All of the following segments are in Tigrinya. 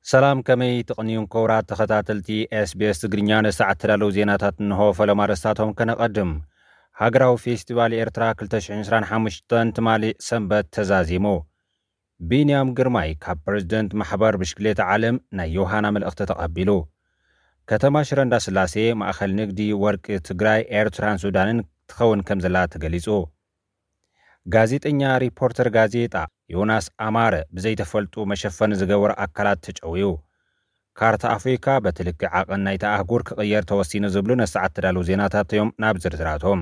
ሰላም፣ ከመይ ትቕንዩን ክቡራት ተኸታተልቲ ኤስቢኤስ ትግርኛ? ንሰዓት ተዳለዉ ዜናታት እንሆ። ፈለማ ኣርእስታቶም ከነቐድም። ሃገራዊ ፌስቲቫል ኤርትራ ክልተ ሽሕን ዕስራን ሓሙሽተን ትማሊ ሰንበት ተዛዚሙ። ቢንያም ግርማይ ካብ ፕረዚደንት ማሕበር ብሽክሌታ ዓለም ናይ ዮሃና መልእኽቲ ተቐቢሉ። ከተማ ሽረ እንዳስላሴ ማእኸል ንግዲ ወርቂ ትግራይ፣ ኤርትራን ሱዳንን ትኸውን ከም ዘላ ተገሊጹ። ጋዜጠኛ ሪፖርተር ጋዜጣ ዮናስ ኣማረ ብዘይተፈልጡ መሸፈኒ ዝገበሩ ኣካላት ተጨውዩ። ካርታ ኣፍሪካ በቲ ልክዕ ዓቐን ናይታ ኣህጉር ክቕየር ተወሲኑ ዝብሉ ነሰዓት ተዳለዉ ዜናታት እዮም። ናብ ዝርዝራቶም።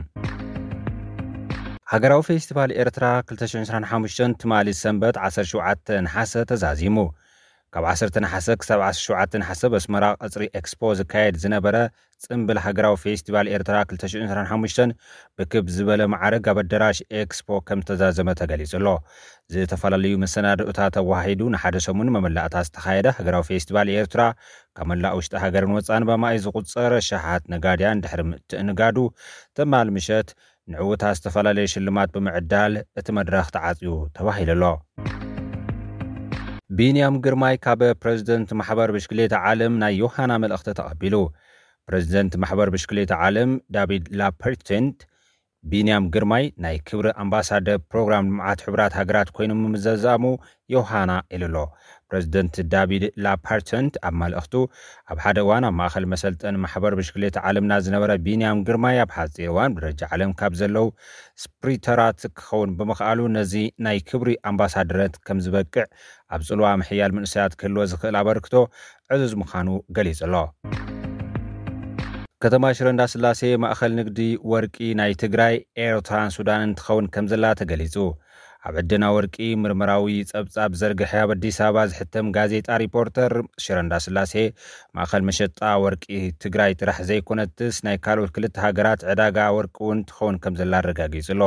ሃገራዊ ፌስቲቫል ኤርትራ ክልተ ሽሕን ዕስራን ሓሙሽተን ትማሊ ሰንበት ዓሰርተ ሸውዓተ ነሓሰ ተዛዚሙ። ካብ ዓሰርተ ነሓሰ ክሳብ ዓሰርተ ሸውዓተ ነሓሰ በስመራ ቀጽሪ ኤክስፖ ዝካየድ ዝነበረ ጽምብል ሃገራዊ ፌስቲቫል ኤርትራ ክልተ ሽሕን ዕስራን ሓሙሽተን ብክብ ዝበለ ማዕርግ ኣብ ኣዳራሽ ኤክስፖ ከም ዝተዛዘመ ተገሊጹ ኣሎ። ዝተፈላለዩ መሰናድኦታት ኣወሃሂዱ ንሓደ ሰሙን መመላእታ ዝተኻየደ ሃገራዊ ፌስቲቫል ኤርትራ ካብ መላእ ውሽጢ ሃገርን ወጻን በማይ ዝቑጸር ሸሓት ነጋድያን ድሕሪ ምትእንጋዱ ትማል ምሸት ንዕውታት ዝተፈላለየ ሽልማት ብምዕዳል እቲ መድረኽ ተዓጽዩ ተባሂሉ ኣሎ። ቢንያም ግርማይ ካብ ፕረዚደንት ማሕበር ብሽክሌታ ዓለም ናይ ዮሃና መልእኽቲ ተቐቢሉ። ፕረዚደንት ማሕበር ብሽክሌታ ዓለም ዳቪድ ላፐርተንት ቢንያም ግርማይ ናይ ክብሪ ኣምባሳደር ፕሮግራም ልምዓት ሕቡራት ሃገራት ኮይኑ ምምዘዛሙ ዮሃና ኢሉ ኣሎ። ፕረዚደንት ዳቪድ ላፓርተንት ኣብ መልእኽቱ፣ ኣብ ሓደ እዋን ኣብ ማእኸል መሰልጠኒ ማሕበር ብሽክሌታ ዓለምና ዝነበረ ቢንያም ግርማይ ኣብ ሓፂር እዋን ብደረጃ ዓለም ካብ ዘለዉ ስፕሪተራት ክኸውን ብምኽኣሉ ነዚ ናይ ክብሪ ኣምባሳደርነት ከም ዝበቅዕ ኣብ ፅልዋ ምሕያል መንእሰያት ክህልዎ ዝኽእል ኣበርክቶ ዕዙዝ ምዃኑ ገሊጹ ኣሎ። ከተማ ሽረ እንዳስላሴ ማእኸል ንግዲ ወርቂ ናይ ትግራይ፣ ኤርትራን ሱዳንን ትኸውን ከም ዘላ ተገሊጹ። ኣብ ዕደና ወርቂ ምርምራዊ ጸብጻብ ዘርግሐ ኣብ ኣዲስ ኣበባ ዝሕተም ጋዜጣ ሪፖርተር፣ ሽረ እንዳስላሴ ማእኸል መሸጣ ወርቂ ትግራይ ጥራሕ ዘይኮነትስ ናይ ካልኦት ክልተ ሃገራት ዕዳጋ ወርቂ እውን ትኸውን ከም ዘላ ኣረጋጊጹ ኣሎ።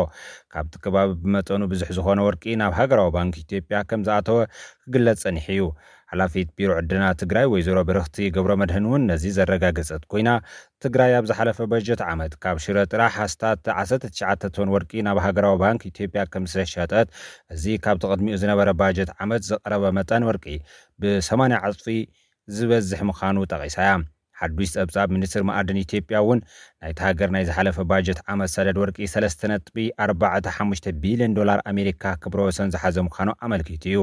ካብቲ ከባቢ ብመጠኑ ብዙሕ ዝኾነ ወርቂ ናብ ሃገራዊ ባንክ ኢትዮጵያ ከም ዝኣተወ ክግለጽ ጸኒሑ እዩ። ሓላፊት ቢሮ ዕደና ትግራይ ወይዘሮ ብርኽቲ ገብረመድህን እውን ነዚ ዘረጋገጸት ኮይና፣ ትግራይ ኣብ ዝሓለፈ በጀት ዓመት ካብ ሽረ ጥራሕ ኣስታት ዓሰርተ ትሽዓተ ቶን ወርቂ ናብ ሃገራዊ ባንክ ኢትዮጵያ ከም ዝተሸጠት፣ እዚ ካብቲ ቅድሚኡ ዝነበረ ባጀት ዓመት ዝቐረበ መጠን ወርቂ ብሰማንያ ዕጽፊ ዝበዝሕ ምዃኑ ጠቒሳ እያ። ሓዱሽ ጸብጻብ ሚኒስትሪ መኣድን ኢትዮጵያ እውን ናይቲ ሃገር ናይ ዝሓለፈ ባጀት ዓመት ሰደድ ወርቂ ሰለስተ ነጥቢ ኣርባዕተ ሓሙሽተ ቢልዮን ዶላር ኣሜሪካ ክብረ ወሰን ዝሓዘ ምዃኑ ኣመልኪቱ እዩ።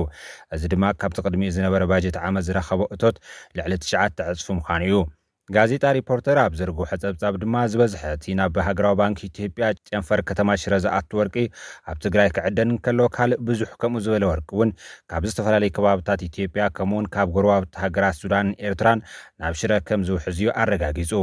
እዚ ድማ ካብቲ ቅድሚኡ ዝነበረ ባጀት ዓመት ዝረኸቦ እቶት ልዕሊ ትሽዓተ ዕጽፊ ምዃኑ እዩ። ጋዜጣ ሪፖርተር ኣብ ዘርግሖ ጸብጻብ ድማ ዝበዝሐ እቲ ናብ ሃገራዊ ባንክ ኢትዮጵያ ጨንፈር ከተማ ሽረ ዝኣቱ ወርቂ ኣብ ትግራይ ክዕደን እንከሎ፣ ካልእ ብዙሕ ከምኡ ዝበለ ወርቂ እውን ካብ ዝተፈላለዩ ከባብታት ኢትዮጵያ ከምኡውን ካብ ጎረባብቲ ሃገራት ሱዳንን ኤርትራን ናብ ሽረ ከም ዝውሕዝ እዩ ኣረጋጊጹ።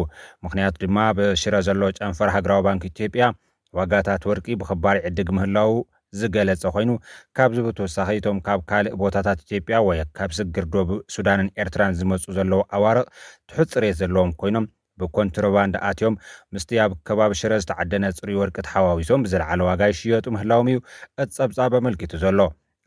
ምኽንያቱ ድማ ብሽረ ዘሎ ጨንፈር ሃገራዊ ባንክ ኢትዮጵያ ዋጋታት ወርቂ ብኽባር ይዕድግ ምህላዉ ዝገለጸ ኮይኑ፣ ካብዚ ብተወሳኺ እቶም ካብ ካልእ ቦታታት ኢትዮጵያ ወይ ካብ ስግር ዶብ ሱዳንን ኤርትራን ዝመጹ ዘለዉ ኣዋርቕ ትሑት ጽሬት ዘለዎም ኮይኖም ብኮንትሮባንድ ኣትዮም ምስቲ ኣብ ከባቢ ሽረ ዝተዓደነ ጽሩይ ወርቂ ተሓዋዊሶም ብዝለዓለ ዋጋ ይሽየጡ ምህላዎም እዩ እቲ ጸብጻብ ኣመልኪቱ ዘሎ።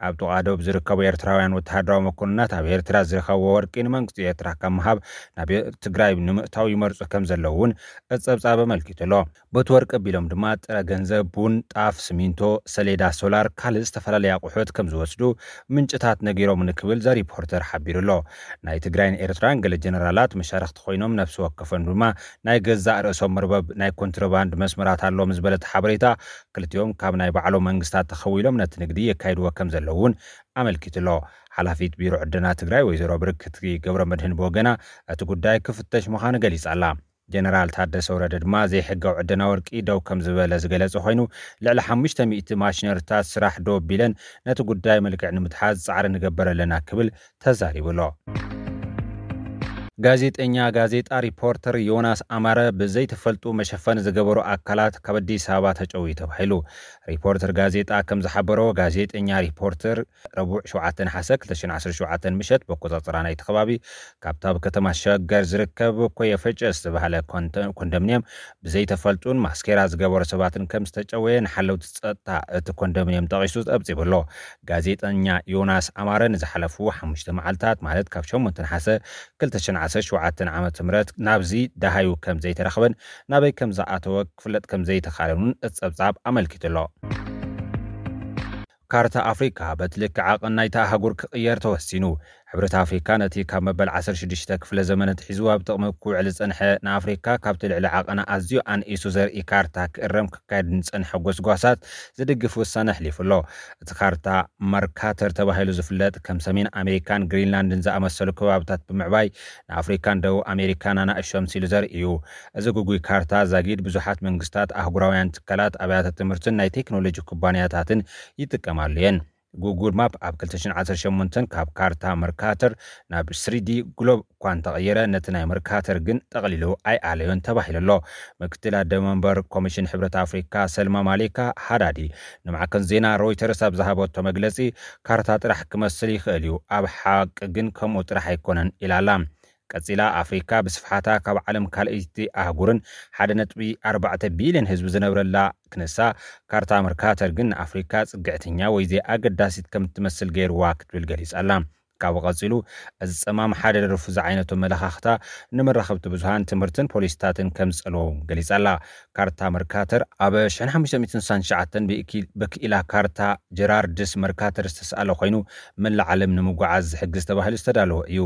ኣብ ጥቓ ዶብ ዝርከቡ ኤርትራውያን ወተሃደራዊ መኮንናት ኣብ ኤርትራ ዝረኸብዎ ወርቂ ንመንግስቲ ኤርትራ ካብ ምሃብ ናብ ትግራይ ንምእታው ይመርጹ ከም ዘለዉ እውን እቲ ጸብጻብ ኣመልኪቱ ኣሎ። በቲ ወርቂ ኣቢሎም ድማ ጥረ ገንዘብ፣ ቡን፣ ጣፍ፣ ስሚንቶ፣ ሰሌዳ፣ ሶላር፣ ካልእ ዝተፈላለዩ ኣቑሑት ከም ዝወስዱ ምንጭታት ነጊሮምኒ ክብል ዘ ሪፖርተር ሓቢሩ ኣሎ። ናይ ትግራይን ኤርትራን ገለ ጀነራላት መሻርኽቲ ኮይኖም ነፍሲ ወከፎም ድማ ናይ ገዛእ ርእሶም መርበብ ናይ ኮንትሮባንድ መስመራት ኣለዎም ዝበለ እቲ ሓበሬታ፣ ክልቲኦም ካብ ናይ ባዕሎም መንግስታት ተኸዊሎም ነቲ ንግዲ የካይድዎ ከም ዘለዉ እውን ኣመልኪቱ ኣሎ። ሓላፊት ቢሮ ዕደና ትግራይ ወይዘሮ ብርክቲ ገብረ መድህን ብወገና እቲ ጉዳይ ክፍተሽ ምዃኑ ገሊጻ ኣላ። ጀነራል ታደሰ ወረደ ድማ ዘይሕጋዊ ዕደና ወርቂ ደው ከም ዝበለ ዝገለጸ ኮይኑ፣ ልዕሊ ሓሙሽተ ሚእቲ ማሽነሪታት ስራሕ ደው ኣቢለን ነቲ ጉዳይ መልክዕ ንምትሓዝ ጻዕሪ ንገበር ኣለና ክብል ተዛሪቡ ኣሎ። ጋዜጠኛ ጋዜጣ ሪፖርተር ዮናስ ኣማረ ብዘይተፈልጡ መሸፈኒ ዝገበሩ ኣካላት ካብ ኣዲስ ኣበባ ተጨውዩ ተባሂሉ። ሪፖርተር ጋዜጣ ከም ዝሓበሮ፣ ጋዜጠኛ ሪፖርተር ረቡዕ ሸውዓተ ነሓሰ ክልተ ሽሕን ዓሰርተ ሸውዓተን ምሸት ብኣቆጻጽራ ናይቲ ከባቢ ካብቲ ኣብ ከተማ ሸገር ዝርከብ ኮየ ፈጨ ዝተባህለ ኮንተ-፣ ኮንዶሚንየም ብዘይተፈልጡን ማስኬራ ዝገበሩ ሰባትን ከም ዝተጨወየ ንሓለውቲ ጸጥታ እቲ ኮንዶሚንየም ጠቒሱ ጸብጺቡ ኣሎ። ጋዜጠኛ ዮናስ ኣማረ ንዝሓለፉ ሓሙሽተ መዓልታት፣ ማለት ካብ ሸሞንተ ነሓሰ ክልተ ሽሕን ዓሰርተ ሸውዓተን ዓመተ ምህረት ናብዚ ደሃዩ ከም ዘይተረኽበን ናበይ ከም ዝኣተወ ክፍለጥ ከም ዘይተኻእለን እውን እቲ ጸብጻብ ኣመልኪቱ ኣሎ። ካርታ ኣፍሪካ በቲ ልክዕ ዓቐን ናይታ ኣህጉር ክቕየር ተወሲኑ። ሕብረት ኣፍሪካ ነቲ ካብ መበል ዓሰርተ ሽዱሽተ ክፍለ ዘመን ኣትሒዙ ኣብ ጥቕሚ ክውዕል ዝጸንሐ፣ ንኣፍሪካ ካብቲ ልዕሊ ዓቐና ኣዝዩ ኣንኢሱ ዘርኢ ካርታ ክእረም ክካየድ ንጸንሐ ጎስጓሳት ዝድግፍ ውሳነ ኣሕሊፉ ኣሎ። እቲ ካርታ መርካተር ተባሂሉ ዝፍለጥ፣ ከም ሰሜን ኣሜሪካን ግሪንላንድን ዝኣመሰሉ ከባብታት ብምዕባይ፣ ንኣፍሪካን ደቡብ ኣሜሪካን ኣናእሽቶ ኣምሲሉ ዘርኢ እዩ። እዚ ግጉይ ካርታ ዛጊድ ብዙሓት መንግስታት፣ ኣህጉራውያን ትካላት፣ ኣብያተ ትምህርትን ናይ ቴክኖሎጂ ኩባንያታትን ይጥቀማሉ እየን። ጉጉል ማፕ ኣብ ክልተ ሽሕን ዓሰርተ ሸሞንተን ካብ ካርታ መርካተር ናብ ስሪዲ ግሎብ እኳ እንተቐየረ፣ ነቲ ናይ መርካተር ግን ጠቕሊሉ ኣይኣለዮን ተባሂሉ ኣሎ። ምክትል ኣደ መንበር ኮሚሽን ሕብረት ኣፍሪካ ሰልማ ማሌካ ሃዳዲ ንማዕከን ዜና ሮይተርስ ኣብ ዝሃበቶ መግለጺ፣ ካርታ ጥራሕ ክመስል ይኽእል እዩ፣ ኣብ ሓቂ ግን ከምኡ ጥራሕ ኣይኮነን ኢላ ኣላ። ቀጺላ፣ ኣፍሪካ ብስፍሓታ ካብ ዓለም ካልኣይቲ ኣህጉርን ሓደ ነጥቢ ኣርባዕተ ቢልዮን ህዝቢ ዝነብረላ ክንሳ፣ ካርታ መርካተር ግን ንኣፍሪካ ጽግዕተኛ ወይ ዘይኣገዳሲት ከም እትመስል ገይርዋ ክትብል ገሊጻ ኣላ። ካብኡ ቀጺሉ፣ እዚ ጸማም ሓደ ደርፉ ዝዓይነቱ ኣመለኻኽታ ንመራኸብቲ ብዙሃን፣ ትምህርትን ፖሊሲታትን ከም ዝጸልዎ እውን ገሊጻ ኣላ። ካርታ መርካተር ኣብ ሽሕን ሓሙሽተ ሚእትን ስሳን ትሽዓተን ብእኪ-፣ ብክኢላ ካርታ ጀራርድስ መርካተር ዝተስኣለ ኮይኑ፣ መላእ ዓለም ንምጉዓዝ ዝሕግዝ ተባሂሉ ዝተዳለወ እዩ።